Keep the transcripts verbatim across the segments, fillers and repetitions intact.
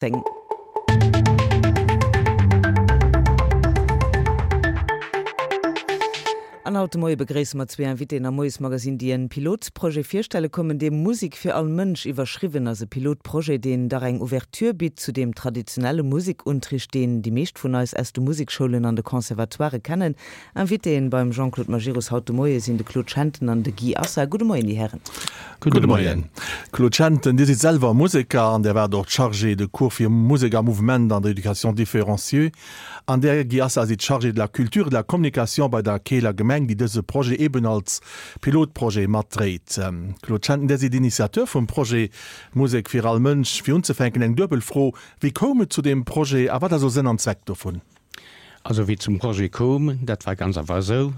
Zéng. An haut de Moie begréisse mer zwee Invitéen am Moiesmagazine, déi en Pilotprojet virstelle kommen, dee Musik fir all Mënsch iwwerschriwwen ass. E Pilotprojet, deen dach eng Ouverture bitt zu deem traditionelle Musikunterricht, deen déi meescht vun eis aus de Musikschoulen an de Conservatoirë kennen. Invitéen beim Jean-Claude Majerus haut de Moie sinn de Claude Schenten an de Guy Assa. Gudde Moien, Dir Hären. Gudde Moien. Claude Schenten, Dir sidd selwer Museker an Dir waart och Chargé de cours fir Musek a Mouvement an der Éducation différenciée. An Dir, Guy Assa, sidd Chargé de la culture et de la communication bei der Keeler Gemeng, déi dëse Projet eben als Pilotprojet matdréit. Claude Schenten, Dir sidd Initiateur vum Projet Musek fir all Mënsch. Fir unzefänken eng duebel Fro, Wéi koum et zu deem Projet a wat ass esou Sënn an Zweck dovun? Also wéi et zum Projet koum, dat war ganz einfach esou,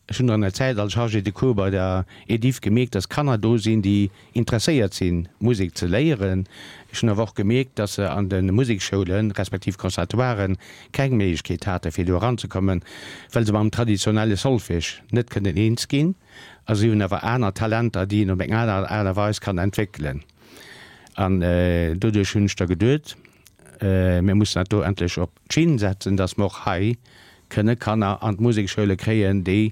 Ech hunn an der Zäit als Chargé de cours bei der Ediff gemierkt, dass Kanner do sinn, déi interesséiert sinn, Musek ze léieren. Ech hunn awer och gemierkt, dass se an de Museksschoulen, respektiv Conservatoiren, keng Méiglechkeet haten, fir do eranzekommen, well se mam traditionelle Solfège net kënnen eens ginn. A si hunn awer aner Talenter, déi een op eng aner Aart a Weis kann entwéckelen. An doduerch hunn ech da geduet, mir mussen dat do endlech op d'Schinn setzen, dass mer och hei kënne Kanner an d'Musekschoule kréien, déi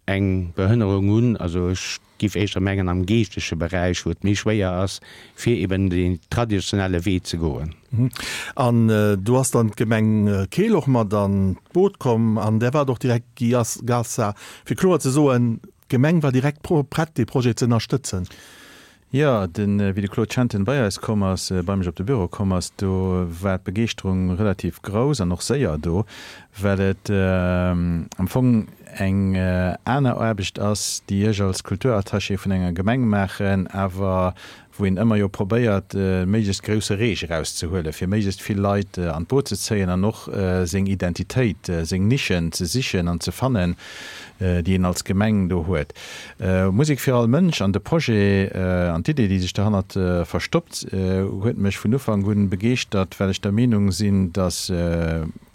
eng Behënnerung hunn, also ech giff éischter mengen am geeschtege Beräich, wou et méi schwéier ass, fir eben deen traditionelle Wee ze goen. An do ass dann d'Gemeng Keel och mat an d'Boot komm an där waart och direkt, Guy Gassa, fir kloer ze soen, d'Gemeng war direkt prett, dee Projet ze ënnerstëtzen. Jo, den, wéi de Claude Schenten bei eis komm ass, bei mech op de Büro komm ass, do war d'Begeeschterung relativ grouss an och séier do, well et am Fong eng aner Aarbecht ass, déi ech als Kulturattaché vun enger Gemeng maachen, awer wou een ëmmer jo probéiert, méiglechst grousse Reech erauszehuelen, fir méiglechst vill Leit an d'Boot ze zéien an och seng Identitéit, seng Nischen ze sichen an ze fannen, déi een als Gemeng do huet. Musek fir all Mënsch an de Projet an d'Idee, déi sech derhannert verstoppt, huet mech vun Ufank un begeeschtert, well ech der Meenung sinn, dass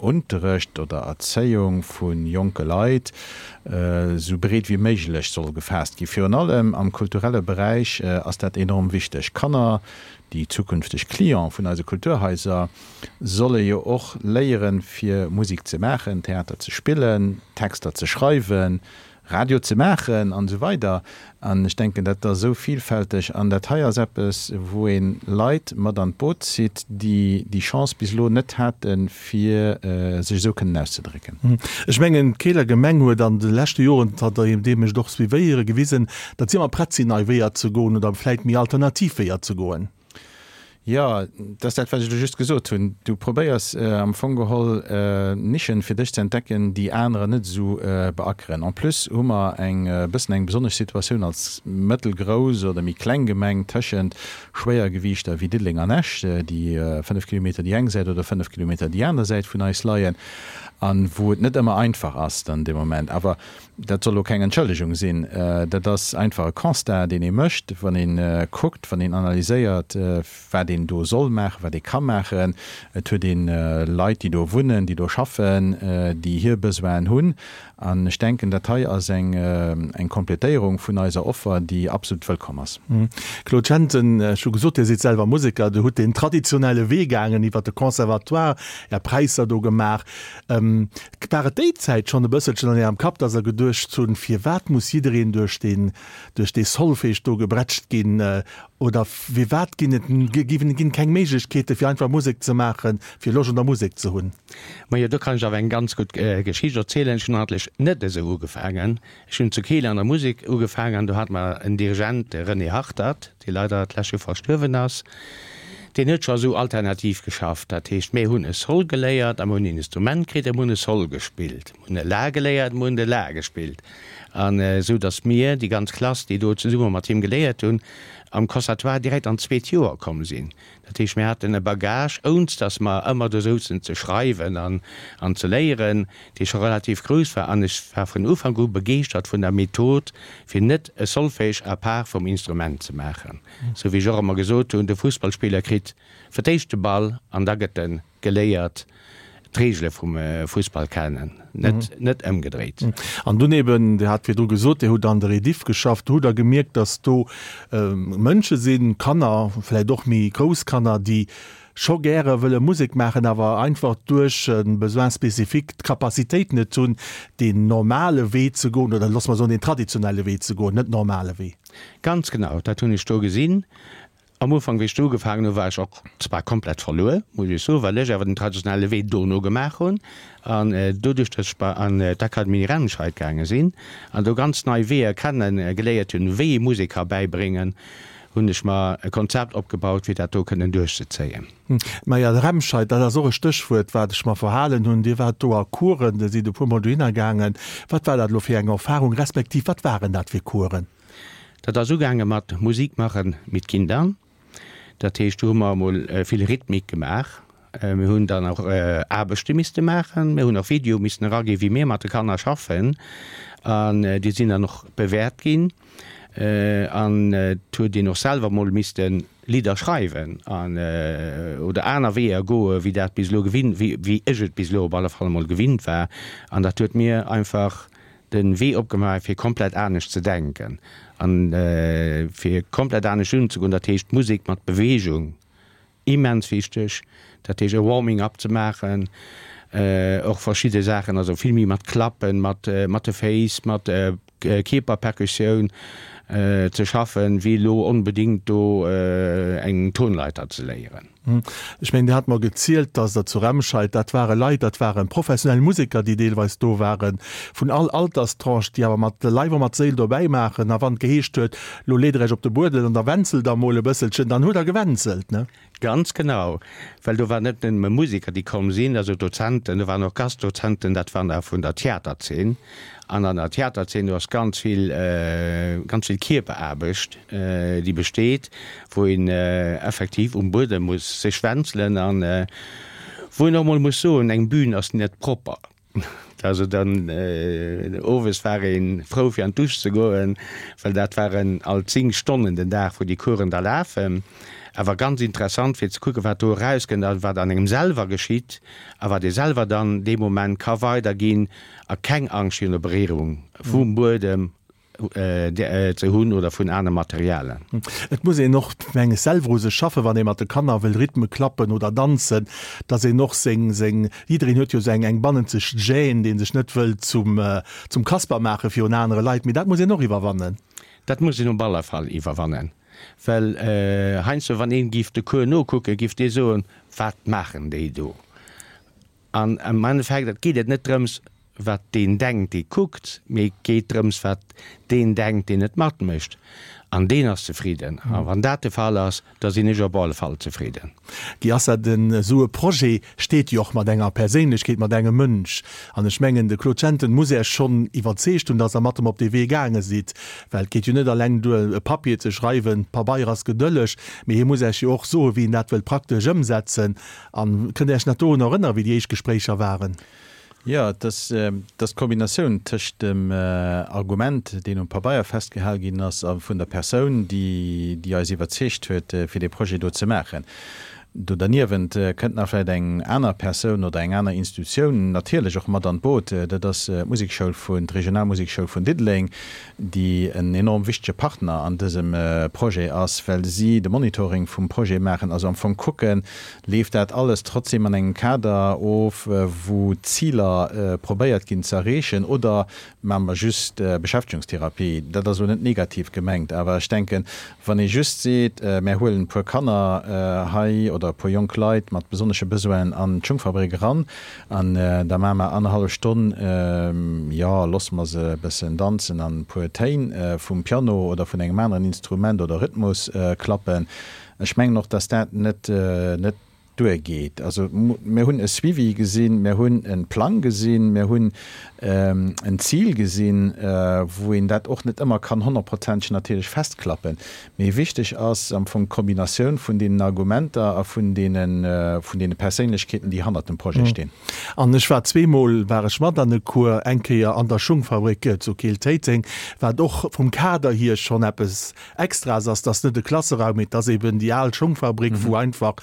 Unterrecht oder Erzéiung vu jonke Leit esou breet wéi méiglech soll gefaasst ginn. Virun allem am kulturelle Beräich ass dat enorm wichteg. Kanner, déi zukünfteg Cliente vun eise Kulturhaiser, solle jo och léieren, fir Musek ze maachen, Theater ze spillen, Texter ze schreiwen, Radio ze maachen an esou weider. An ech denken, dat ass esou vielfälteg an dat hei ass eppes, wou ee Leit mat an d'Boot zitt, déi déi Chance bis elo net haten, fir sech esou kënnen auszedrécken. Ech mengen, d'Keeler Gemeng huet an de leschte Joren, zanter deem ech et och suivéiere, gewisen, datt si ëmmer prett sinn, nei Weeër ze goen oder vläicht méi alternativ Weeër ze goen. Jo, dat ass dat, wat ech elo just gesot hunn. Du probéiers am Fong geholl Nischen fir dech ze entdecken, déi anerer net esou beackeren. En plus hu mer eng bëssen eng besonnesch Situatioun als mëttelgrouss oder méi kleng Gemeng tëschent Schwéiergewiichter wéi Diddeleng an Esch, déi fënnef Kilometer déi eng Säit oder fënnef Kilometer déi aner Säit vun eis leien a wou et net ëmmer einfach ass dann dee Moment. Awer dat soll elo keng Entschëllegung sinn, dat ass einfach e Constat, deen ee mécht, wann ee kuckt, wann een analyséiert, wat een do soll maachen, wat ee ka maachen. Et huet ee Leit, déi do wunnen, déi do schaffen, déi hir Besoinen hunn. An ech denken, dat hei ass eng eng Kompletéierung vun eiser Offer, déi absolut wëllkomm ass. Claude Schenten, Ech hu gesot, Dir sidd selwer Museker, Dir hutt deen traditionelle Wee gaangen iwwer de Conservatoire, Är Präisser do gemaach. War et déi Zäit schonn e bësselchen an Ärem Kapp, dass Der geduecht hunn, firwat muss jiddereen duerch deen duerch dee Solfège do gebrätscht ginn? Oder firwat ginn et ginn keng Méiglechkeete fir einfach Musek ze maachen, fir Loscht un der Musek ze hunn? Majo, do kann ech awer eng ganz gutt Geschicht erzielen. Ech hunn eigentlech net esou ugefaangen. Ech hunn zu Keel an der Musek ugefaangen an do hate mer en Dirigent, de René Hartert, dee leider d'lescht Joer verstuerwen ass. Deen huet scho esou alternativ geschafft. Dat heescht, mir hunn e Sol geléiert a mir hunn en Instrument kritt a mir hunn e Sol gespillt. Mir hunn e La geléiert, mir hunn de La gespillt. An esou datt mir, déi ganz Klass, déi do zesumme mat him geléiert hunn, am Conservatoire direkt an d'zweet Joer komm sinn. Dat heescht, mir haten e Bagage, ounst datt mer ëmmer do souzen ze schreiwen an an ze léieren, dee scho relativ grouss war. An ech war vun Ufank u begeeschtert vun der Method, fir net e Solfège à part vum Instrument ze maachen. Sou wéi ech och ëmmer gesot hunn, de Fussballspiller kritt fir d'éischt de Ball an da gëtt e geléiert d'Reegele vum Fussball kennen, net net ëmgedréit. An dunn eben, Dir hat virdru gesot, Dir hutt an der Ediff geschafft, do hutt Der gemierkt, datt do Mënsche sinn, Kanner, vläicht och méi grouss Kanner, déi scho gäre wëlle Musek maachen, awer einfach duerch e Besoin spécifique d'Capacitéit net hunn, deen normale Wee ze goen, oder loosse mer soen, deen traditionelle Wee ze goen, net normale Wee. Ganz genau, dat hunn ech do gesinn. Am Ufank, wéi ech do ugefaangen hunn, war ech och zwar komplett verluer, muss ech soen, well ech awer den traditionelle Wee dono gemaach hunn an doduerch, datt ech bei an d'Akademie Remscheid gaange sinn an do ganz nei Weeër kenne geléiert hunn, wéi ee Musek ka bäibréngen, hunn ech mer e Konzept opgebaut, fir dat do kënnen duerchzezéien. Maja, Remscheid, dat ass och e Stéchwuert, wat ech mer verhalen hunn. Dir waart do a Coursen, Dir sidd e puermol dohinner gaangen. Wat war dat elo fir eng Erfahrung, respektiv wat waren dat fir Coursen? Dat ass ugaange mat Musik machen mit Kindern. Dat heescht, do hu mer emol vill Rhythmik gemaach. Mir hunn dann och Aarbechte misste maachen. Mir hunn och Videoe missen eraginn, wéi mir mat de Kanner schaffen. An déi sinn dann och bewäert ginn. An et huet een och selwer emol misste Lidder schreiwen an oder aner Weeër goe wéi dat bis elo gewinnt, wéi ech et bis elo op alle Fall emol gewinnt war. An dat huet mir einfach de Wee opgemaach fir komplett anescht ze denken an fir komplett anescht unzegoen. Dat heescht Musek mat Beweegung, immens wichteg, dat heescht e Warming up ze maachen, och verschidde Saachen, also vill méi mat Klappen, mat mat de Féiss, mat Kierperperkussioun ze schaffen, wéi elo onbedéngt do eng Tonleiter ze léieren. Ech mengen, Dir hat mer gezielt, dass Der zu Remscheid, dat ware Leit, dat ware professionell Museker, déi deelweis do waren, vun all Alterstranche, déi awer mat Leif a mat Séil dobäi maachen. A wann et geheescht huet, Lo leet Der Iech op de Buedel an da wänzelt Der emol e bësselchen, dann hutt Der gewänzelt, ne? Ganz genau, well do waren net nëmme Museker, déi komm sinn, also Dozenten, do waren och Gastdozenten, dat waren der vun der Theaterzeen. An an der Theaterzeen, do ass ganz vill, ganz vill Kierperaarbecht, déi besteet, wou een effektiv um Buedem muss sech wänzelen an wou een och emol muss soen, eng Bühn ass net propper. Also dann owes war ee frou fir an d'Dusch ze goen, well dat waren alt zéng Stonnen den Dag, wou déi Coursen da lafen. Awer ganz interessant fir ze kucken, wat do erauskënnt a wat an engem selwer geschitt a wat ee selwer dann dee Moment ka weiderginn a keng Angscht virun der Beréierung vum Buedem ze hunn oder vun aner Materialen. Et muss een och, meng ech, selwer u sech schaffen, wann ee mat de Kanner wëll Rhythme klappen oder danzen, dass een och seng, seng, jiddereen huet jo esou eng, eng bannenzeg Gêne, dee sech net wëll zum, zum Kasper maache virun anere Leit, mee dat muss een och iwwerwannen. Dat muss een op alle Fall iwwerwannen, well heiansdo, wann een giff de Cours nokucken, giff dee soen, Wat maachen déi do? An am Endeffekt, et geet et net drëms, wat deen denkt, dee kuckt, mee et geet drëms, wat deen denkt, deen et matmécht. An deen ass zefridden. A wann dat de Fall ass, da sinn ech op alle Fall zefridden. Guy Assad, Esou e Projet steet jo och mat enger Perséinlechkeet, mat engem Mënsch. An ech mengen, de Claude Schenten muss Äech schonn iwwerzeegt hunn, datt Der mat em op dee Wee gaange sidd. Well et geet jo net alleng duer, e Papier ze schreiwen, Pabeier ass gedëlleg, mee hie muss Äech jo och soen, wéi en dat wëllt praktesch ëmsetzen. An kënnt Der Äech nach dorun erënneren, wéi déi éischt Gespréicher waren? Jo, et ass d'Kombinatioun tëscht dem Argument, deen um Pabeier festgehal ginn ass, a vun der Persoun, déi eis iwwerzeegt huet, fir dee Projet do ze maachen. Do derniewent kënnt nach vläicht eng aner Persoun oder eng aner Institutioun natierlech och mat an d'Boot. Dat ass d'Musekschoul vun, d'Regionalmusekschoul vun Diddeleng, déi en enorm wichtege Partner an dësem Projet ass, well si de Monitoring vum Projet maachen, also am Fong kucken, Leeft dat alles trotzdem an engem Kader of, wou d'Ziler probéiert ginn ze erreechen, oder maache mer just Beschäftegungstherapie? Dat ass elo net negativ gemengt, awer ech denken, wann ee just seet, mär huelen e puer Kanner hei oder e puer jonk Leit mat besonnesche Besoinen an d'Schungfabrik eran an da maache mer annerhallef Stonn, jo, loosse mer se e bëssen danzen an e puer Téin vum Piano oder vun engem aneren Instrument oder Rhythmus klappen, Ech mengen och, dass dat net net duergeet. Also mir hunn e Suivi gesinn, mir hunn e Plang gesinn, mir hunn en Zil gesinn, wou een dat och net ëmmer kann honnertprozenteg natierlech festklappen. Mee wichteg ass am Fong d'Kombinatioun vun deenen Argumenter a vun deene vun deene Perséinlechkeeten, déi hannert dem Projet stinn. An ech war zweemol war ech mat an e Cours, eng Kéier an der Schungfabrik zu Keel-Téiteng, wat och vum Kader hier schonn eppes Extraes ass, dass net e Klasseraum, mee dass eben déi al Schongfabrik, wou einfach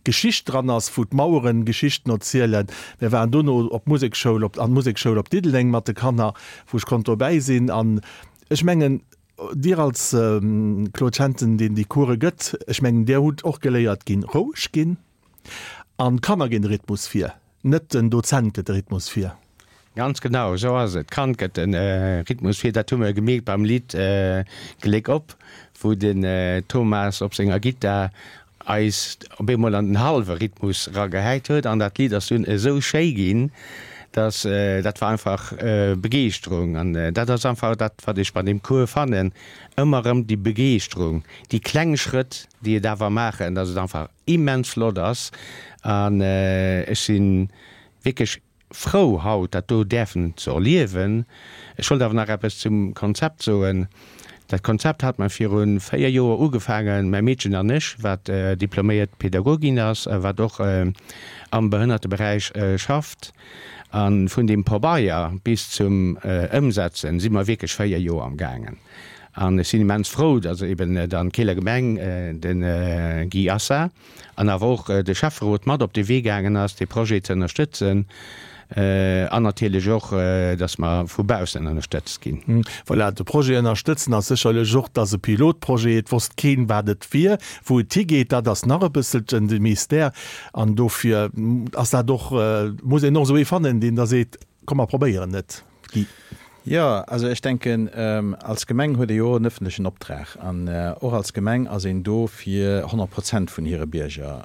Geschicht dran ass, wou d'Maueren Geschichten erzielen. Mir waren dono op d'Musekschoul, op, an d'Musekschoul op Diddeleng mat de Kanner, wou ech konnt dobäi sinn. An ech mengen, Dir als Claude Schenten, deen déi Course gëtt, ech mengen, Dir hutt och geléiert ginn, roueg ginn. An d'Kanner ginn de Rhythmus vir, net den Dozent gëtt de Rhythmus vir. Ganz genau, esou ass et. D'Kand gëtt de Rhythmus vir. Dat hu mer gemierkt beim Lidd Gléck op, wou den Thomas op senger Gittar eis op eemol an den hallwe Rhythmus eragehäit huet. An dat Lidd ass dunn esou schéi ginn, dass dat war einfach Begeeschterung. An dat ass einfach dat, wat ech bei deem Cours fannen, ëmmer erëm déi Begeeschterung, déi kleng Schrëtt, déi et awer maachen, dass et einfach immens flott ass. An ech si wierklech frou haut dat do däerfen ze erliewen. Ech wollt awer nach eppes zum Konzept soen. Dat Konzept hat mer viru véier Joer ugefaangen, mäi Meedchen an ech, wat diploméiert Pädagogin ass a wat och am Behënnerteberäich schafft. A vun deem Pabeier bis zum Ëmsetzen si mer wierklech véier Joer amgaangen. An ech sinn immens frou, datt eben dann d'Keeler Gemeng, de Guy Assa an awer och de Schäfferot mat op de Wee gaangen ass, dee Projet ze ënnerstëtzen an natierlech och, datt mer vu baussen ënnerstëtzt ginn. Voilà, de Projet ënnerstëtzen ass sécherlech och, et ass e Pilotprojet, et wosst keen, wat et wier, wou et higeet, dat ass nach e bësselchen de Mystère. An dofir ass dat och, muss een och esou ee fannen, deen da seet, komm mer probéieren et, Guy. Jo, also ech denken, als Gemeng huet ee jo och en öffentlechen Optrag an och als Gemeng ass een do fir honnert Prozent vun hire Bierger.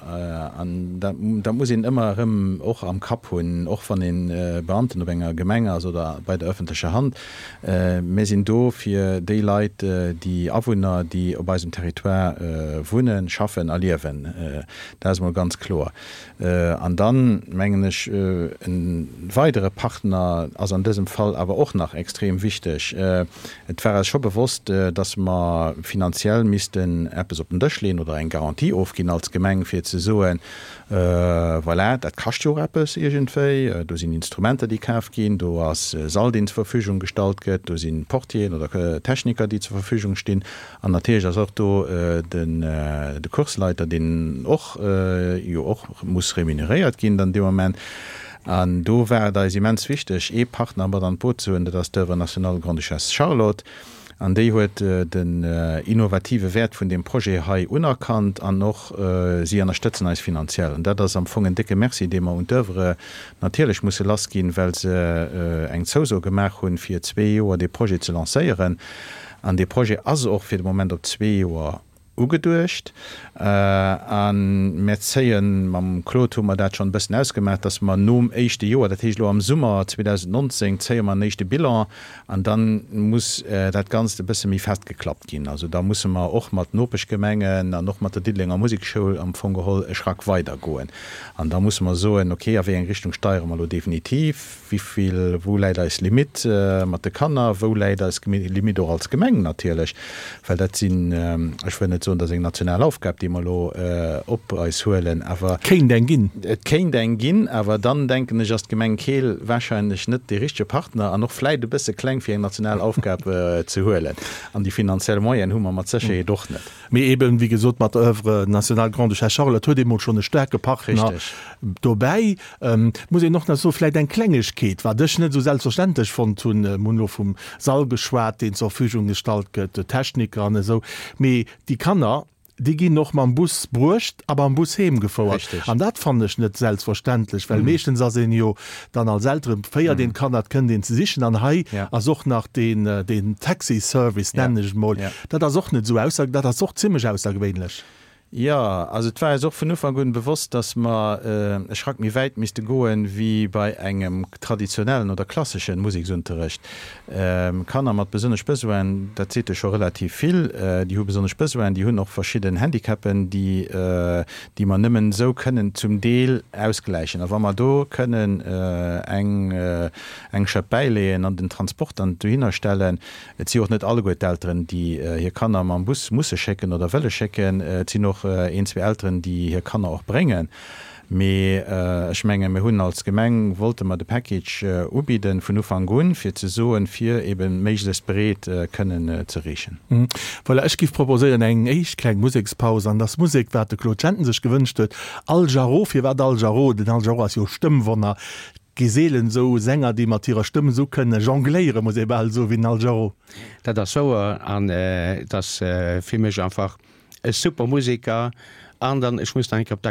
An dat, dat muss een ëmmer erëm och am Kapp hunn, och wann ee Beamten op enger Gemeng ass oder bei der öffentlecher Hand. Mir sinn do fir déi Leit, déi Awunner, déi op eisem Territoire wunnen, schaffen a liewen. Dat ass emol ganz kloer. An dann, mengen ech, e weidere Partner ass an dësem Fall awer och nach extrem wichteg. Et war eis scho bewosst, dass mer finanziell missten eppes op den Dësch leeën oder eng Garantie ofginn als Gemeng, fir ze soen, Voilà, dat kascht jo och eppes iergendwéi. Do sinn Instrumenter, déi kaf ginn, do ass e Sall, deen zur Verfügung gestallt gëtt, do si Portieren oder Techniker, déi zur Verfügung stinn. An natierlech ass och do de Kursleiter, deen och jo och muss remuneréiert ginn dann dee Moment. An do war et eis immens wichteg, ee Partner mat an d'Boot ze hunn, dat ass d'Oeuvre nationale Grande-Duchesse Charlotte. An déi huet den innovative Wäert vun deem Projet hei unerkannt an och si ënnerstëtzen eis finanziell. An dat ass am Fong en décke Merci, dee mer un d'Oeuvre natierlech musse lassginn, well se eng Zouso gemaach hunn, fir zwee Joer dee Projet ze lancéieren. An dee Projet ass och fir de Moment op zwee Joer ugeduecht. A mir zéien, mam Claude hu mer dat schonn e bëssen ausgemaach, dass mer nom éischte Joer, dat heescht elo am Summer zweedausendnonzéng zéie mer en éischte Bilan an da muss dat Ganzt e bësse méi festgeklappt ginn. Also da musse mer och mat Nopeschgemengen an och mat der Diddelenger Musekschoul am Fong geholl e Schrack weider goen. An da musse mer soen, okay, a wéi eng Richtung steiere mer elo definitiv? Wivill, wou läit eis Limitt mat de Kanner, wou läit eis Limitt och als Gemeng natierlech, well dat sinn, ech wëll net soen, dat ass eng national Aufgab, déi mer elo op eis huelen, awer. Kéint eng ginn. Et kéint eng ginn, awer dann, denken ech, ass d'Gemeng Keel wahrscheinlech net dee richtege Partner an och vläit e bësse kleng, fir eng national Aufgab ze huelen. An déi finanziell Moyenen hu mer mat Sécherheet och net. Mee eben, wéi gesot, mat der Oeuvre nationale Grande-Duchesse Charlotte huet ee mol schonn e staarke Partner dobäi. Et muss een och nach soen, vläicht eng Klengegkeet, wat ech net esou selbstverständlech fonnt hunn, mir hunn elo vum Sall geschwat, deen zur Verfügung gestallt gëtt, Techniker an esou, mee déi Kanner, déi ginn och mam Bus bruecht a mam Bus heem gefouert. An dat fannen ech net selbstverständlech, well meeschtens ass een jo dann als Elteren, féiert een d'Kanner, et kënnt een ze sichen. An hei ass och nach deen, deen Taxi-Service, nennen ech et mol, dat ass och net esou ausser, dat ass och zimlech aussergewéinlech. Jo, also et war eis och vun Ufank un bewosst, dass mer e Schrack méi wäit misste goen, wéi bei engem traditionellen oder klasseschen Museksunterrecht. Kanner mat besonnesch Besoinen, dat seet jo scho relativ vill, déi hu besonnesch Besoinen, déi hunn och verschidden Handicapen, déi, déi mer nëmmen esou kënnen zum Deel ausgläichen. A wa mer do kënnen eng, eng Schëpp bäileeën an den Transport dann dohinner stellen, Et si och net alleguer d'Elteren, déi hir Kanner mam Bus musse schécken oder wëlle schécken. Et sinn och een, zwee Elteren, déi hir Kanner och bréngen. Mee ech mengen, mir hunn als Gemeng, wollte mer de Package ubidden vun Ufank un, fir ze soen, fir eebe méiglechst breet kënnen ze reechen. Voilà, ech giff proposéieren eng éischt kleng Musekspaus. An dass Musek, wat de Claude Schenten sech gewënscht huet, Al Jarreau. Firwat Al Jarreau? Den Al Jarreau ass jo Stëmmwonner. Gi seelen esou Sänger, déi mat hirer Stëmm esou kënne jongléieren, muss ee bal soen, wéi den Al Jarreau. Dat ass wouer an et ass fir mech einfach e super Museker An dann, ech muss nach eng Kéier op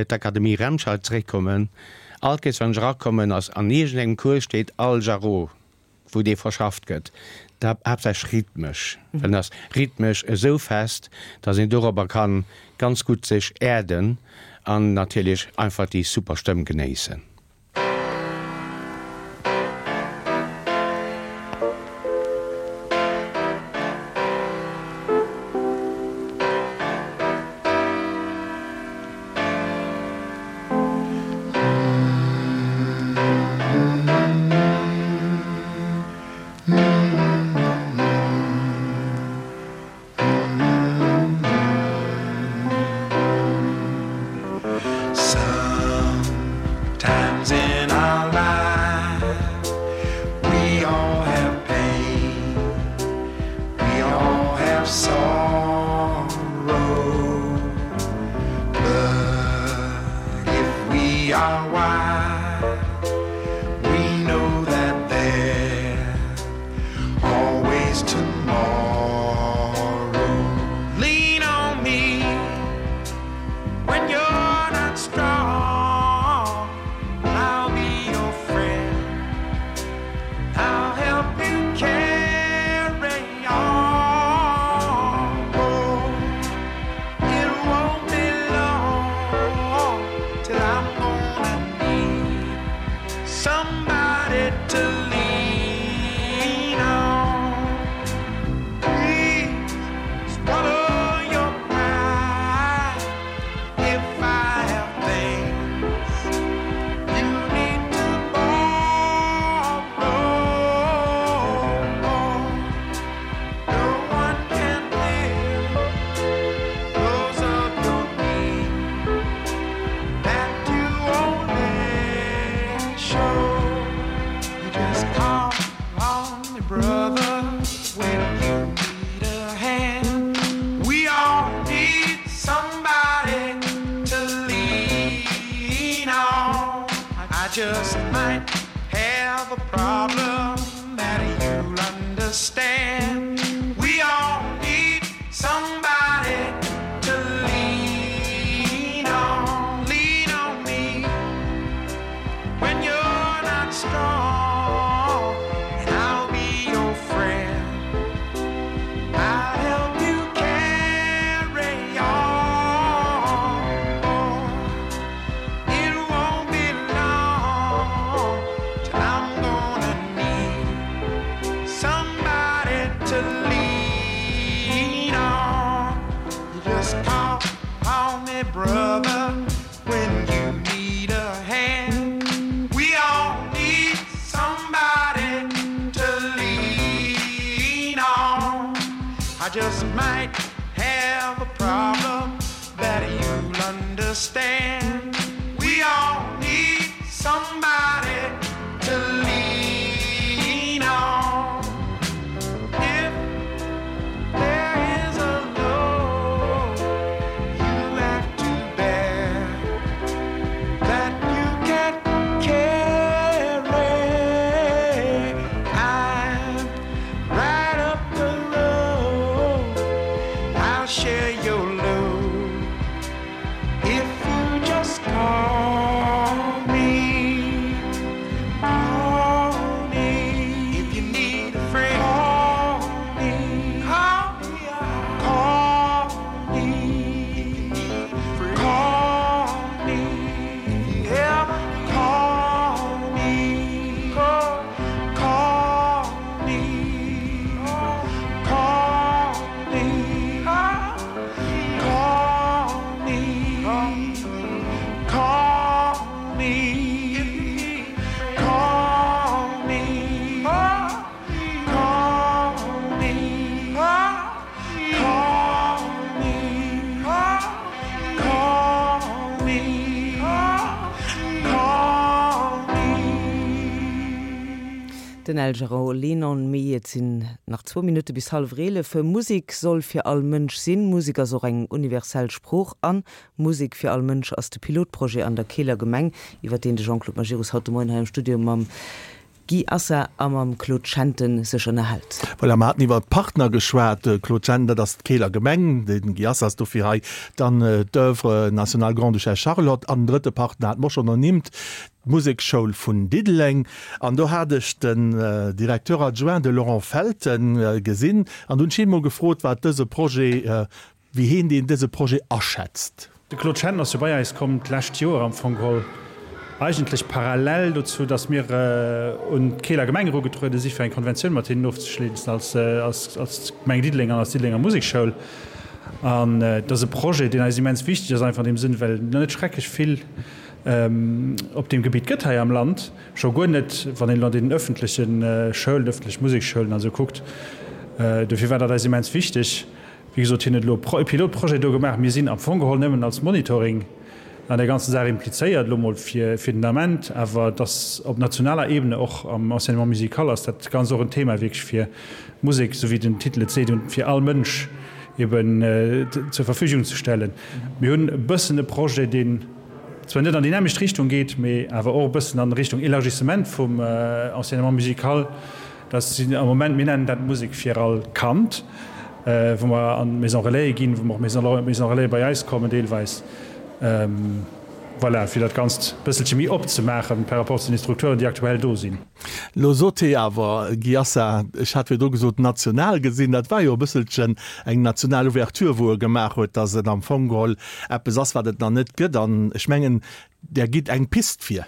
d'Akademie Remscheid zeréckkommen, all Kéiers wann ech erakommen, ass an iergendengem Cours steet Al Jarreau, wou dee verschafft gëtt, da haaptsächlech rhythmesch, well en ass rhythmesch esou fest, datt een dorobber kann ganz gutt sech äerden an natierlech einfach déi super Stëmm genéissen. Den Al Jarreau, Lean on Me. Et sinn nach zwou Minutte bis hallwer eelef. Musek soll fir all Mënsch sinn. Musek ass och eng universell Sprooch. An Musek fir all Mënsch ass de Pilotprojet an der Keeler Gemeng, iwwer deen de Jean-Claude Majerus haut de Moien hei am Studio mam Guy Assa a mam Claude Schenten sech ënnerhält. Voilà, mer haten iwwer d'Partner geschwat, Claude Schenten, dat ass d'Keeler Gemeng, de Guy Assa ass dofir hei, dann d'Oeuvre nationale Grande-Duchesse Charlotte an den drëtte Partner hate mer och schonn ernimmt, d'Musekschoul vun Diddeleng. An do hat ech den Directeur adjoint, de Laurent Felten, gesinn an hunn ech hien emol gefrot, wat dëse Projet, wéi hien deen dëse Projet aschätzt. De Claude Schenten ass jo bei eis komm d'lescht Joer am Fong geholl, eigentlech parallel dozou, datt mir un d'Keeler Gemeng erugetruede si fir eng Konventioun mat hinnen ofzeschléissen als als Gemeng Diddeleng an als Diddelenger Musekschoul. An et ass e Projet, deen eis immens wichteg ass, einfach an deem Sënn, well et net schrecklech vill op deem Gebitt gëtt hei am Land, scho guer net, wann een elo an deenen öffentleche Schoulen, öffentlech Museksschoulen a sou kuckt. Dofir war dat eis immens wichteg. Wéi gesot, hien huet elo e Pilotprojet do gemaach. Mir sinn am Fong geholl nëmmen als Monitoring an där ganzen Saach implizéiert, elo mol fir den Ament. Awer et ass op nationaler Ebene, och am Enseignement musical ass dat Ganzt och en Thema wierklech fir Musek, esou wéi den Titel et seet, fir all Mënsch eben zur Verfügung ze stellen. Mir hunn e bëssen e Projet, deen zwar net an déi nämmlecht Richtung geet, mee awer och e bëssen an Richtung Élargissement vum Enseignement musical. Dat sinn am Moment, mir nennen dat Musek fir all Kand, wou mer an d'Maison Relaise ginn, wou mer och Maison Relaise bei eis kommen deelweis, voilà, fir dat Ganzt e bësselche méi opzemaachen par rapport zu den Strukturen, déi aktuell do sinn. Lo sot hee awer, Guy Assa, ech hat virdru gesot national gesinn, dat war jo e bësselchen eng national Ouverture, wou e gemaach huet, datt et am Fong geholl eppes ass, wat et nach net gëtt. An ech mengen, Der gitt eng Pist vir.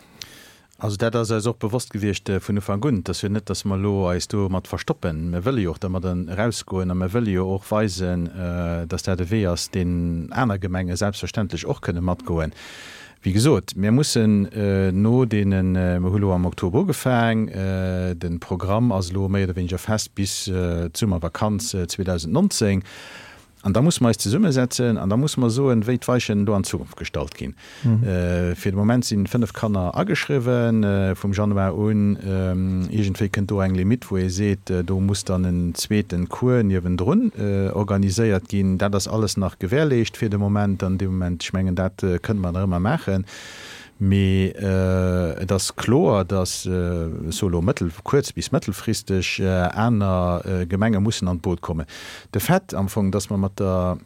Also dat ass eis och bewosst gewiescht vun Ufank un. Et ass jo net, datt mer elo eis domat verstoppen. Mir wëlle jo och dermat erausgoen a mir wëlle jo och weisen, datt dat e Wee ass, deen aner Gemenge selbstverständlech och kënne matgoen. Wéi gesot, mir mussen no deenen, mir hu lo am Oktober ugefaang, de Programm ass elo méi oder wéineger fest bis d'Summervakanz zweedausendnonzéng, an da musse mer eis zesummesetzen an da musse mer soen, wéi d'Weichen elo an Zukunft gestallt ginn. Fir de Moment si fënnef Kanner ageschriwwen vum Januar un. Iergendwéi kënnt do eng Limitt, wou ee seet, do muss dann en zweeten Cours niewendrun organiséiert ginn. Dat ass alles nach gewährleescht fir de Moment an deem Moment. Ech mengen, dat kënne mer nach ëmmer maachen. Mee et ass kloer, datt, ech soe lo mëttel-, kuerz bis mëttelfristeg, aner Gemenge mussen an d'Boot kommen. De Fait am Fong, datt mer mat der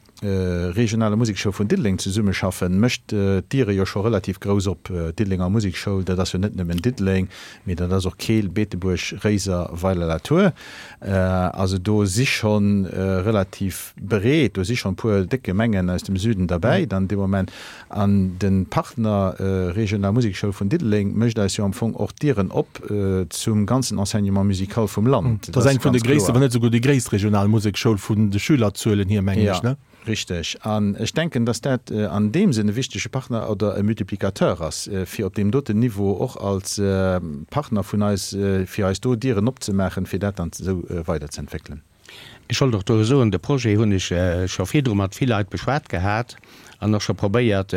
regionaler Musekschoul vun Diddeleng zesummeschaffen, mécht d'Diere jo scho relativ grouss op. D'Diddelenger Musekschoul, dat ass jo net nëmmen Diddeleng, mee dat ass och Keel, Beetebuerg, Réiser, Weiler-la-Tour. Also do si scho relativ breet, do si schonn e puer déck Gemengen aus dem Süden derbäi dann dee Moment. An de Partner Regional Musekschoul vun Diddeleng mécht eis jo am Fong och d'Dieren op zum ganzen Enseignement musical vum Land. Dat ass eng vun de gréissten, wann net esouguer déi gréisst regional Musekschoul vun de Schülerzuelen hier, mengen ech, ne? Jo, richteg. An ech denken, dass dat an deem Sënn e wichtege Partner oder e Multiplicateur ass, fir op deem doten Niveau och als Partner vun eis, fir eis do Dieren opzemaachen, fir dat dann esou weiderzeentwéckelen. Ech wollt och do soen, de Projet hunn ech scho virdru mat vill Leit beschwat gehat an och scho probéiert,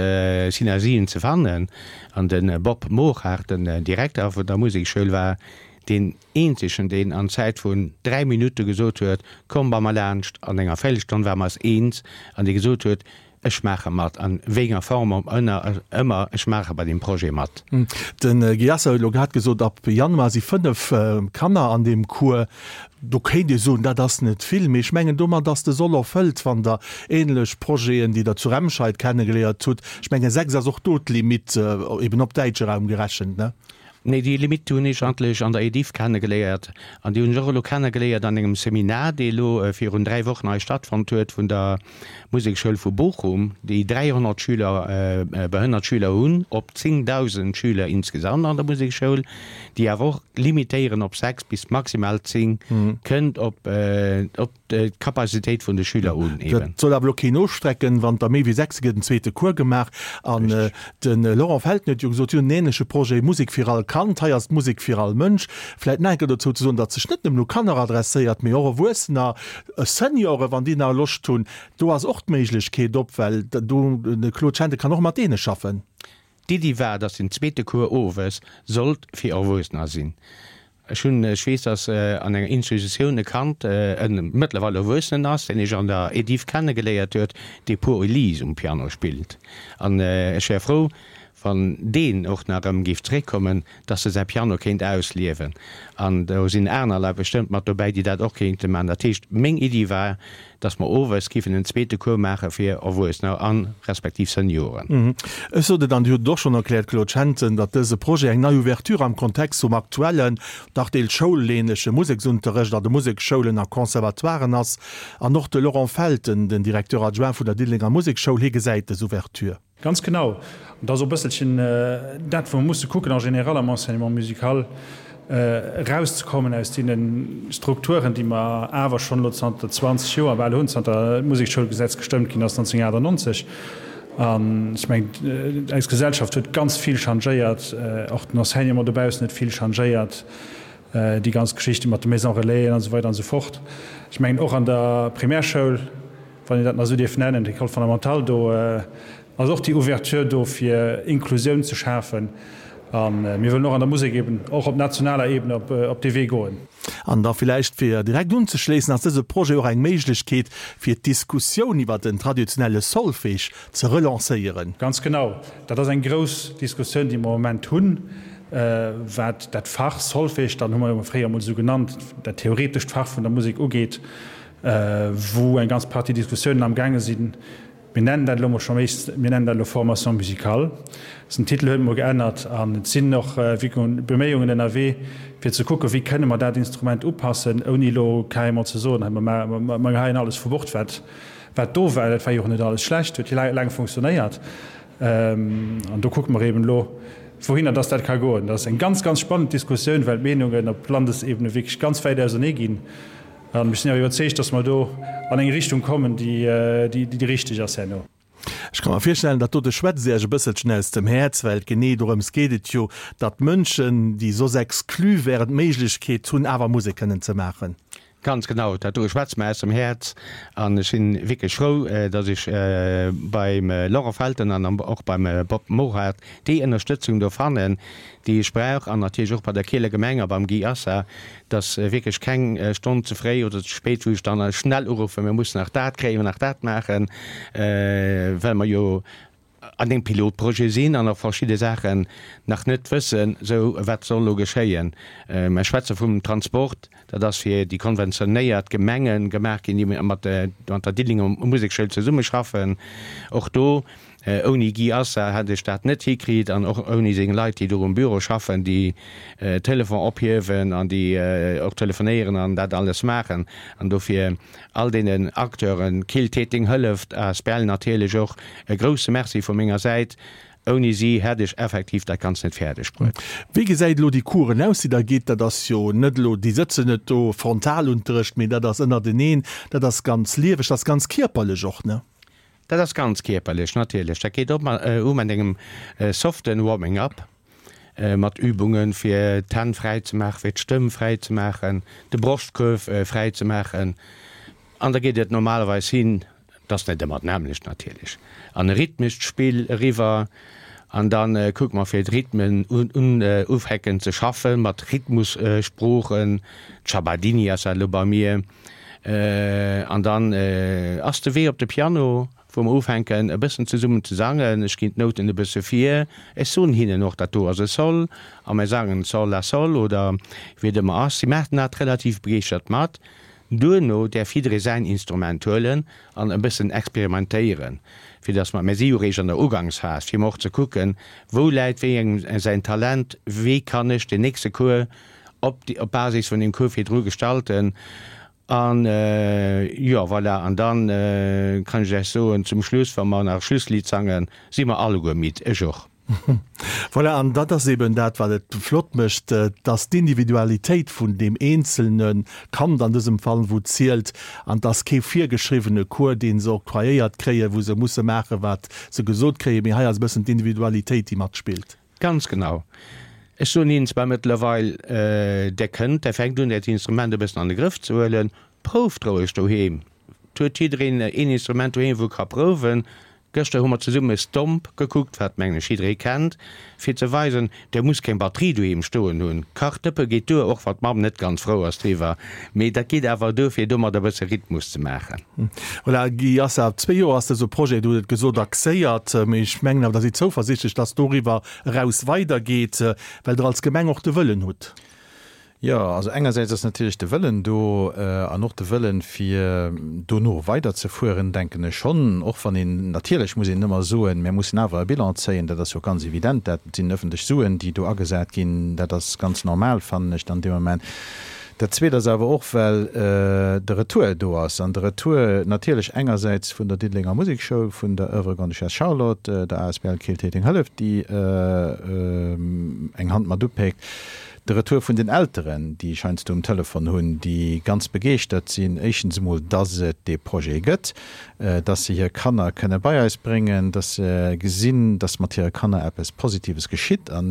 Synergien ze fannen. An de Bob Morhard, den Direkter vun der Musekschoul, war deen eenzegen, deen an Zäit vun dräi Minutte gesot huet, Komm bei mer laanscht. An enger Véirelstonn ware mer eis eens an dee gesot huet, Ech maache mat, an wéi enger Form och ëmmer, ech maache bei deem Projet mat. De Guy Assa huet elo grad gesot, ab Januar si fënnef Kanner an deem Cours. Do kéint ee soen, dat ass net vill, mee ech mengen, domat ass de Soll erfëllt, wann Der ähnlech Projeten, déi Der zu Remscheid kennegeléiert hutt, ech mengen, sechs ass och do d'Limite, eben op däitsche Raum gerechent, ne? Nee, déi Limite hunn ech eigentlech an der Ediff kennegeléiert. An déi hunn ech och elo kennegeléiert an engem Seminar, dee elo virun dräi Wochen hei stattfonnt huet, vun der Musekschoul vu Bochum, déi dräihonnert Schüler, behënnert Schüler hunn, op zéngdausend Schüler insgesamt an der Musekschoul, déi awer och limitéieren op sechs bis maximal zéng, kënnt op, op d'Capacitéit vun de Schüler un eben. Dat soll awer elo keen ofstrecken, wann der méi wéi sechs gëtt en zweete Cours gemaach. An de Laurent Felten huet jo gesot, si hunn en änleche Projet, Musek fir all Kand. Hei ass d'Musek fir all Mënsch. Vläit nach eng Kéier dozou ze soen, datt sech net nëmmen u Kanner adresséiert, mee och Erwuessener, Senioren, wann déi nach Loscht hunn. Do ass och d'Méiglechkeet op, well do de Claude Schente kann och mat deene schaffen. D'Iddi war, datt den zweete Cours owes sollt fir Erwuessener sinn. Ech hunn, ech weess, datt an enger Institutioun e Kand, e mëttlerweil Erwuessenen ass, deen ech an der Ediff kennegeléiert huet, dee Pour Elise um Piano spillt. An ech wär frou, wann deen och nach erëm géif zréckkommen, dass e säi Piano kéint ausliewen. An do sinn aner Leit bestëmmt mat dobäi, déi dat och kéinte maachen. Dat heescht, meng Iddi war, dass mer owes géifen en zweete Cours maache fir Erwuessener a respektiv Senioren. Ech sot et, an Dir hutt et och schonn erkläert, Claude Schenten, datt dëse Projet eng nei Ouverture am Kontext vum aktuellen, dach deels schoulähnleche Museksunterrecht an de Museksschoulen a Conservatoiren ass. An och de Laurent Felten, den Directeur adjoint vun der Diddelenger Musekschoul, hie gesäit dës Ouverture. Ganz genau. An dat ass och e bësselchen dat, wou mer musse kucken en général am Enseignement musical, erauszekommen aus deene Strukturen, déi mer awer schonn elo zanter zwanzeg Joer bal hunn, zanter d'Musekschoulgesetz gestëmmt ginn ass neunzehnhundertachtundneunzeg. An ech mengen, eis Gesellschaft huet ganz vill changéiert, och den Enseignement dobaussen huet vill changéiert, déi ganz Geschichte mat de Maisons relaisen an esou weider an esou fort. Ech mengen, och an der Primärschoul, wann een dat nach esou dierf nennen, d'École fondamentale, do ass och déi Ouverture do, fir Inklusioun ze schafen. A mir wëllen och an der Musek eben och op nationaler Ebene op dee Wee goen. An da villäicht, fir direkt unzeschléissen, ass dëse Projet och eng Méiglechkeet, fir d'Diskussioun iwwert den traditionelle Solfège ze relancéieren. Ganz genau. Dat ass eng grouss Diskussioun, déi mer am Moment hunn, wat dat Fach Solfège, dann hu mer jo fréier emol esou genannt, dat theoretescht Fach vun der Musek ugeet, wou eng ganz Partie Diskussiounen amgaange sinn. Mir nennen dat elo mol scho méi, mir nennen dat elo Formation musicale. Den Titel huet emol geännert an et sinn och Beméiungen ënnerwee, fir ze kucken, wéi kënne mer dat Instrument upassen, ouni elo carrément ze soen, hei mer geheien alles vu Bord, wat wat do war. Dat war jo och net alles schlecht, huet jo laang funktionéiert. An do kucke mer eben elo, wouhinner dass dat ka goen. Dat ass eng ganz, ganz spannend Diskussioun, well d'Meenungen op Landesebene wierklech ganz wäit ausernee ginn. An ech sinn awer iwwerzeegt, dass mer do an eng Richtung kommen, déi déi richteg ass herno. Ech ka mer virstellen, dat dote schwätzt Iech e bësselchen aus dem Häerz, well genee dorëms geet et jo, datt Mënschen, déi soss exclu wären, d'Méiglechkeet hunn, awer Musek kënnen ze maachen. Ganz genau, dat do schwätzt mer aus dem Häerz. An ech si wierklech frou, datt ech beim Laurent Felten an och beim Bob Morhard déi Ënnerstëtzung do fannen, déi ech brauch, an natierlech och bei der Keeler Gemeng a beim Guy Assa, dass wierklech keng Stonn ze fréi oder ze spéit, wou ech dann schnell uruffen, mir mussen nach dat kréien, nach dat maachen, well mer jo an engem Pilotprojet sinn an och verschidde Saachen nach net wëssen, sou wat soll elo geschéien. Mer schwätze vum Transport, dat ass fir déi konventionéiert Gemenge gemaach ginn, déi mat der Diddelenger Musekschoul zesummeschaffen. Och do Ouni Guy Assa hätt ech dat net hikritt an och ouni seng Leit, déi do um Büro schaffen, déi Telefon ophiewen an déi och telefonéieren an dat alles maachen. An dofir all deenen Acteuren, Kill Téteng Hëlleft asbl natierlech och e grousse Merci vu menger Säit. Ouni si hätt ech effektiv dat Ganzt net fäerdeg bruet. Wéi gesäit elo déi Coursen aus, déi Der gitt? Dat ass jo net elo, déi sëtzen net do Frontalunterrecht, mee dat ass ënnerteneen, dat ass ganz lieweg, dat ass ganz kierperlech och, ne? Dat ass ganz kierperlech, natierlech. Dat geet op u mat engem soften Warming up, mat Übungen, fir d'Hänn fräi ze maachen, fir d'Stëmm fräi ze maachen, de Broschtkuerf fräi ze maachen. An da geet et normalerweis hin, et ass net ëmmer d'nämmlecht natierlech, an e rhythmescht Spill eriwwer. An da kucke mer fir d'Rhythmen ufänken ze schaffen, mat Rhythmussproochen, Chabadini ass dat elo bei mir. An dann ass de Wee op de Piano, wou mer ufänken e bëssen zesummen ze sangen. Ech ginn d'Nouten e bësse vir. Ech soen hinnen och, dat do ass e Sol a mir sangen Sol la Sol oder wéi et ëmmer ass. Si maachen dat relativ begeeschtert mat. Duerno däerf jidderee säin Instrument huelen an e bëssen experimentéieren, fir dass mer, mir si jo réischt an der Ugangsphas, fir emol och ze kucken, wou läit wéi engem säin Talent, wéi kann ech den nächste Cours op op Basis vun deem Cours virdru gestalten. An, jo, voilà, an dann kann ech lech soen, zum Schluss, wa mer nach Schlusslidd sangen, si mer alleguer midd, ech och. Voilà, an dat ass eben dat, wat et flott mécht, dass d'Individualitéit vun deem eenzelne Kand an dësem Fall, wou zielt, an dass kee virgeschriwwene Cours, dee se octroyéiert kréien, wou se musse maachen, wat se gesot kréien, mee hei ass e bëssen d'Individualitéit, déi matspillt. Ganz genau. Ech soen hinnen zwar mëttlerweil, Der kënnt, Der fänkt un, Äert Instrument e bëssen an de Grëff ze huelen, prouft roueg doheem. Et huet jiddereen een Instrument doheem, wou e ka prouwen. Gëschter hu mer zesumme Stomp gekuckt, wat mengen ech jidderee kennt, fir ze weisen, der muss keng Batterie doheem stoen hunn. Kachdëppe geet duer, och wann d'Mamm net ganz frou ass driwwer, mee dat geet awer duer, fir domat e bësse Rhythmus ze maachen. Voilà, Guy Assa, zwee Joer ass dëse Projet, du hutt et gesot, axéiert, mee ech mengen awer, der sidd zouversichtlech, dass doriwwer eraus weidergeet, well Der als Gemeng och de Wëllen hutt. Jo, also engersäits ass natierlech de Wëllen do an och de Wëllen, fir dono weiderzefueren, denken ech schonn, och wann een, natierlech muss een ëmmer soen, mir mussen awer e Bilan zéien, dat ass jo ganz evident, dat sinn öffentlech Suen, déi do agesat ginn, dat ass ganz normal, fannen ech dann dee Moment. Dat Zweet ass awer och, well de Retour do ass, an de Retour natierlech engersäits vun der Diddelenger Musekschoul, vun der Oeuvre Grande-Duchesse Charlotte, der asbl Keel-Téiteng Hëllef, déi eng Hand mat upéckt, De Retour vun den Elteren, déi ech heiansdo um Telefon hunn, déi ganz begeeschtert sinn, éischtens emol, dass et dee Projet gëtt, dass se hir Kanner kënne bei eis bréngen, dass se gesinn, dass mat hire Kanner eppes Positives geschitt. A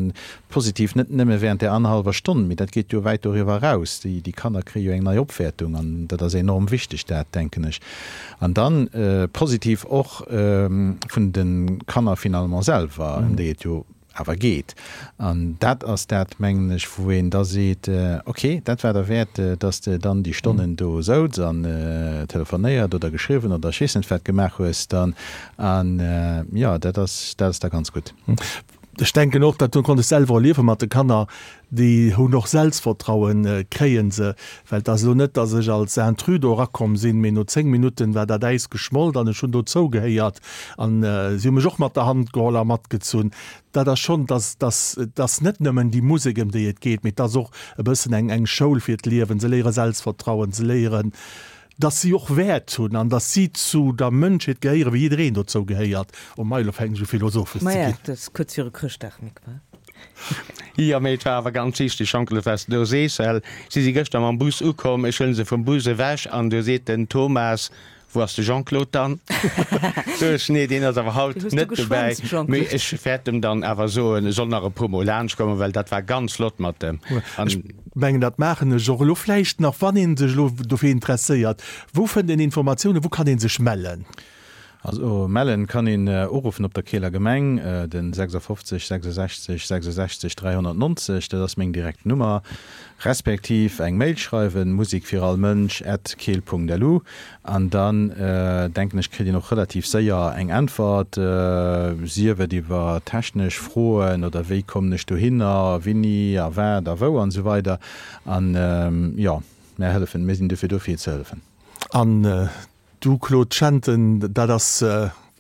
positiv net nëmme während där annerhallwer Stonn, mee dat geet jo wäit doriwwer eraus. Déi Kanner kréie jo eng nei Opwäertung an dat ass enorm wichteg, dat denken ech. An dann positiv och vun de Kanner finalement selwer, ëm déi et jo awer geet. An dat ass dat, mengen ech, wou een da seet, ok, dat war derwäert, dass de dann déi Stonnen do souz an telefonéiert oder geschriwwen oder ech weess net wat gemaach hues dann. An jo, dat ass, dat ass da ganz gutt. Ech denken och, dat konnt ech selwer erliewe mat de Kanner, déi hunn och Selbstvertrauen, kréie se, well et ass elo net, dass ech als Intrus do erakomm sinn, mee no zéng Minutten war dat Äis geschmolt an ech hunn dozou gehéiert an si hu mech och mat der Hand geholl a matgezunn. Dat ass schonn, dass, dass, et ass net nëmmen déi Musek, ëm déi et geet, mee et ass och e bëssen eng, eng Schoul fir d'Liewen. Se léiere Selbstvertrauen, se léieren, dass si och Wäert hunn an dass si zu der Mënschheet gehéieren, wéi jiddereen dozou gehéiert. Oh mei, elo fänken ech u philosophesch ze Maja, ginn. dat ass kuerz viru Chrëschtdag, Mick, wa? Jo, mee et war awer ganz wichteg, Jean-Claude, wat s de do sees, well si si gëschter mam Bus ukomm, ech huele se vum Bus ewech an du seet den Thomas, Wou ass de Jean-Claude dann? Sot ech, Nee, deen ass awer haut Deen hues du net dobäi. geschwänzt, Jean-Claude. Mee ech wäert em dann awer soen, e soll nach e puer Mol laanschtkommen, well dat war ganz flott mat em. An. Ech mengen, dat maachen ech och elo vläicht nach, wann ee sech elo dofir interesséiert. Wou fënnt een Informatiounen? Wou kann ee sech mellen? Also mellen kann een uruffen op der Keeler Gemeng, den sechsundfünfzig sechsundsechzig sechsundsechzig dräihunnertneunzig, dat ass meng direkt Nummer, respektiv eng Mail schreiwen, musikfirallmënsch at keel Punkt lu, an dann denken ech kritt een och relativ séier eng Äntwert, sief et iwwer technesch Froen oder wéi kommen ech dohinner, winni a wat a wou an esou weider. An jo, mär hëllefen, mir sinn dofir do fir ze hëllefen. An du Claude Schenten, dat ass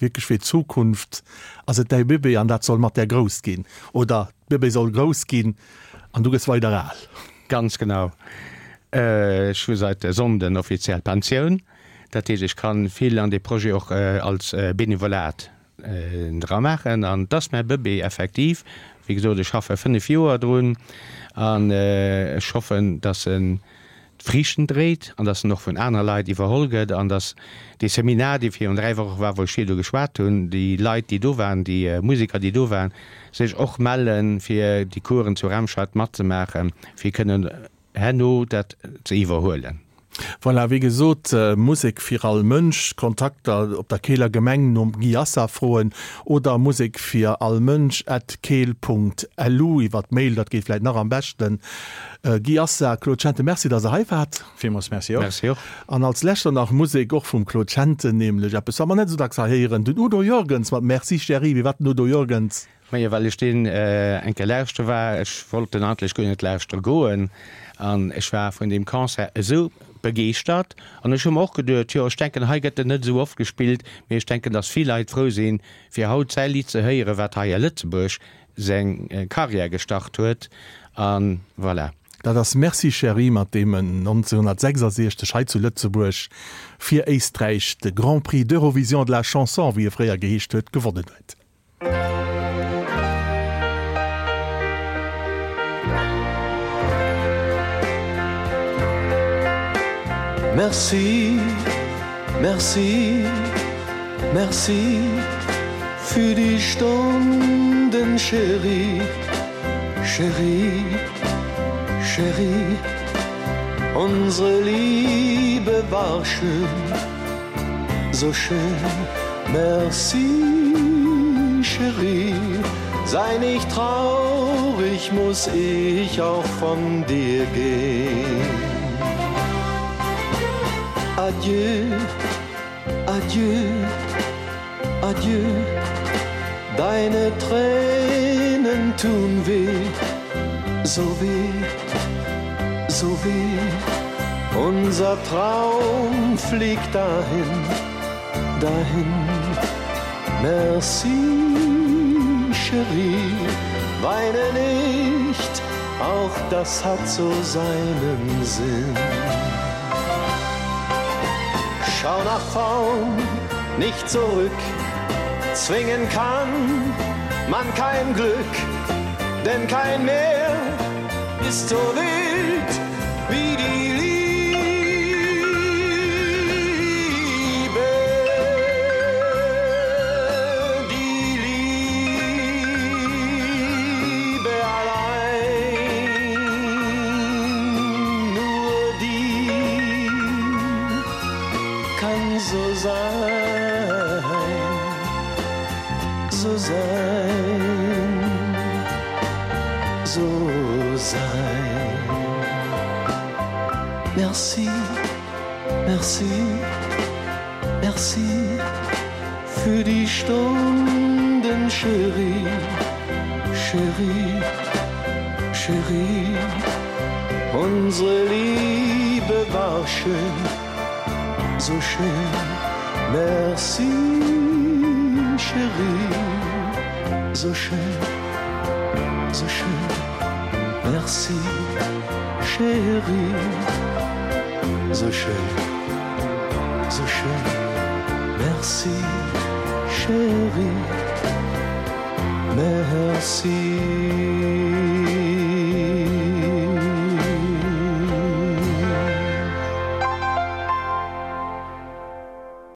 wierklech fir d'Zukunft, ass et däi Bëbee an dat soll mat där grouss ginn, oder d'Bëbee soll grouss ginn an du gëss weider al. Ganz genau. Ech hu seit e Sonnden offiziell Pensioun. Dat heescht, ech kann vill an dee Projet och als Benevolat dra maachen. An 't ass mäi Bëbee effektiv. Wéi gesot, ech schaffe fënnef Joer drun an ech hoffen, dass en d'Friichten dréit an dass en och vun aner Leit iwwerholl gëtt an dass dee Seminar, dee virun dräi Woche war, wou ech virdu geschwat hunn, déi Leit, déi do waren, déi Museker, déi do waren, sech och mellen, fir déi Coursen zu Remscheid matzemaachen, fir kënnen herno dat ze iwwerhuelen. Voilà, wéi gesot, Musek fir all Mënsch, Kontakter op der Keeler Gemeng nom Guy Assa froen oder Musek fir all Mënsch at keel Punkt lu iwwer d'Mail, dat geet vläit nach am beschten. Guy Assa, Claude Schenten, Merci, dass Der hei waart. Villmools Merci och. Merci och. An als lescht dann nach Musek, och vum Claude Schenten, nämlech eppes, wat mer net esou dacks hei héieren, den Udo Jürgens mat Merci Chérie. Wéi war den Udo Jürgens? Majo, well ech deen eng Kéier lauschtere war, ech wollt en eigentlech guer net lauschtere goen, an ech war vun deem Concert esou begeeschtert, an ech hu mer och geduet, jo, ech denken, hei gëtt en net esou oft gespillt, mee ech denken, datt vill Leit frou sinn, fir haut säi Lidd ze héieren, wat hei a Lëtzebuerg seng Karriär gestart huet, a voilà. Dat ass Merci Chérie, mat deem en nonzénhunnertsechsasiechzeg hei zu Lëtzebuerg fir Éisträich de Grand Prix d'Eurovision de la Chanson, wéi e fréier geheescht huet, gewonnen huet. Merci, merci, merci für die Stunden, Chérie, Chérie, Chérie. Unsere Liebe war schön, so schön. Merci, Chérie, sei nicht traurig, muss ich auch von dir gehen. Adieu, adieu, adieu, deine Tränen tun weh, so weh, so weh. Unser Traum fliegt dahin, dahin. Merci, Chérie, weine nicht, auch das hat so seinen Sinn. Schau nach vorn, nicht zurück, zwingen kann man kein Glück, denn kein Meer ist so wild wie die Liebe, die Liebe allein, nur die kann so sein, so sein, so sein. Merci, merci, merci für die Stunden, Chérie, Chérie, Chérie. Unsere Liebe war schön, so schön. Merci, Chérie, so schön, so schön. Merci, Chérie, so schön, so schön. Merci, Chérie, merci.